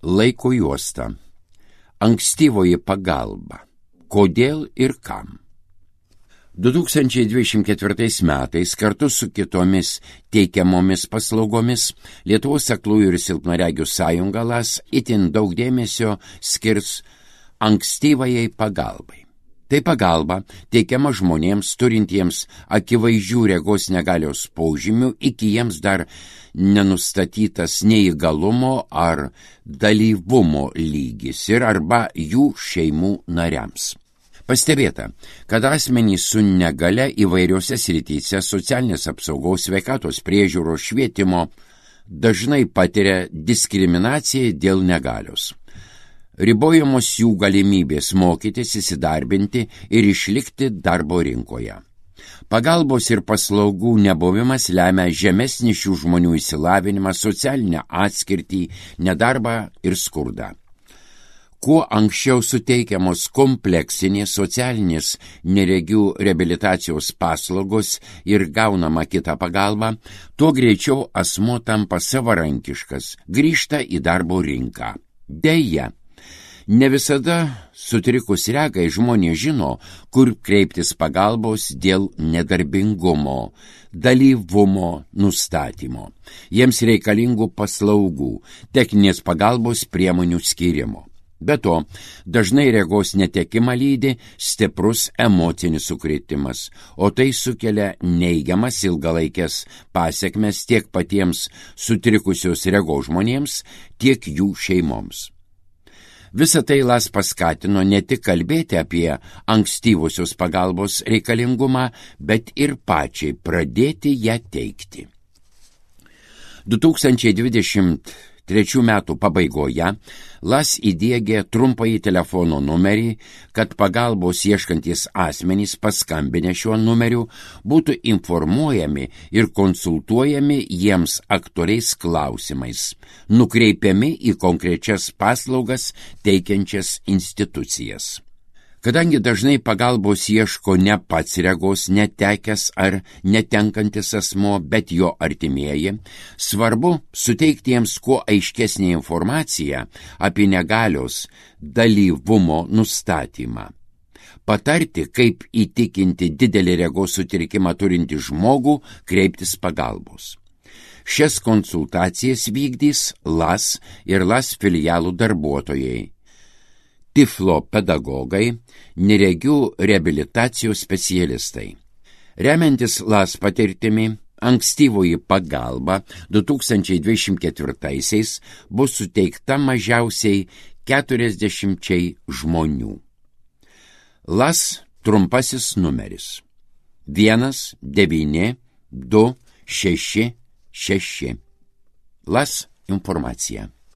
Laiko juosta. Ankstyvoji pagalba. Kodėl ir kam? 2024 metais kartu su kitomis teikiamomis paslaugomis Lietuvos aklųjų ir silpnaregių sąjunga LAS itin daug dėmesio skirs ankstyvajai pagalbai. Tai pagalba teikiama žmonėms turintiems akivaizdžių regos negalios požymių iki jiems dar nenustatytas neįgalumo ar dalyvumo lygis ir arba jų šeimų nariams. Pastebėta, kad asmenys su negale įvairiose srityse socialinės apsaugos, sveikatos priežiūros, švietimo dažnai patiria diskriminaciją dėl negalios. Ribojamos jų galimybės mokytis, įsidarbinti ir išlikti darbo rinkoje. Pagalbos ir paslaugų nebuvimas lemia žemesnį šių žmonių išsilavinimą, socialinę atskirtį, nedarbą ir skurdą. Kuo anksčiau suteikiamos kompleksinės socialinės neregių reabilitacijos paslaugos ir gaunama kita pagalba, tuo greičiau asmuo tampa savarankiškas, grįžta į darbo rinką. Deja, ne visada sutrikus regai žmonės žino, kur kreiptis pagalbos dėl nedarbingumo, dalyvumo nustatymo, jiems reikalingų paslaugų, techninės pagalbos priemonių skyrimo. Be to, dažnai regos netekimą lydi stiprus emocinis sukrėtimas, o tai sukelia neigiamas ilgalaikės pasekmes tiek patiems sutrikusios regos žmonėms, tiek jų šeimoms. Visą tai LAS paskatino ne tik kalbėti apie ankstyvosios pagalbos reikalingumą, bet ir pačiai pradėti ją teikti. 2023 metų pabaigoje LAS įdiegė trumpąjį telefono numerį, kad pagalbos ieškantys asmenys paskambinę šiuo numeriu būtų informuojami ir konsultuojami jiems aktualiais klausimais, nukreipiami į konkrečias paslaugas teikiančias institucijas. Kadangi dažnai pagalbos ieško ne pats regos netekęs ar netenkantis asmuo, bet jo artimieji, svarbu suteikti jiems kuo aiškesnį informaciją apie negalios dalyvumo nustatymą. Patarti, kaip įtikinti didelį regos sutrikimą turintį žmogų kreiptis pagalbos. Šias konsultacijas vykdys LAS ir LAS filialų darbuotojai, tiflo pedagogai, neregių reabilitacijos specialistai. Remiantis LAS patirtimi, ankstyvoji pagalba 2024 bus suteikta mažiausiai 40 žmonių. LAS trumpasis numeris 19266. LAS informacija.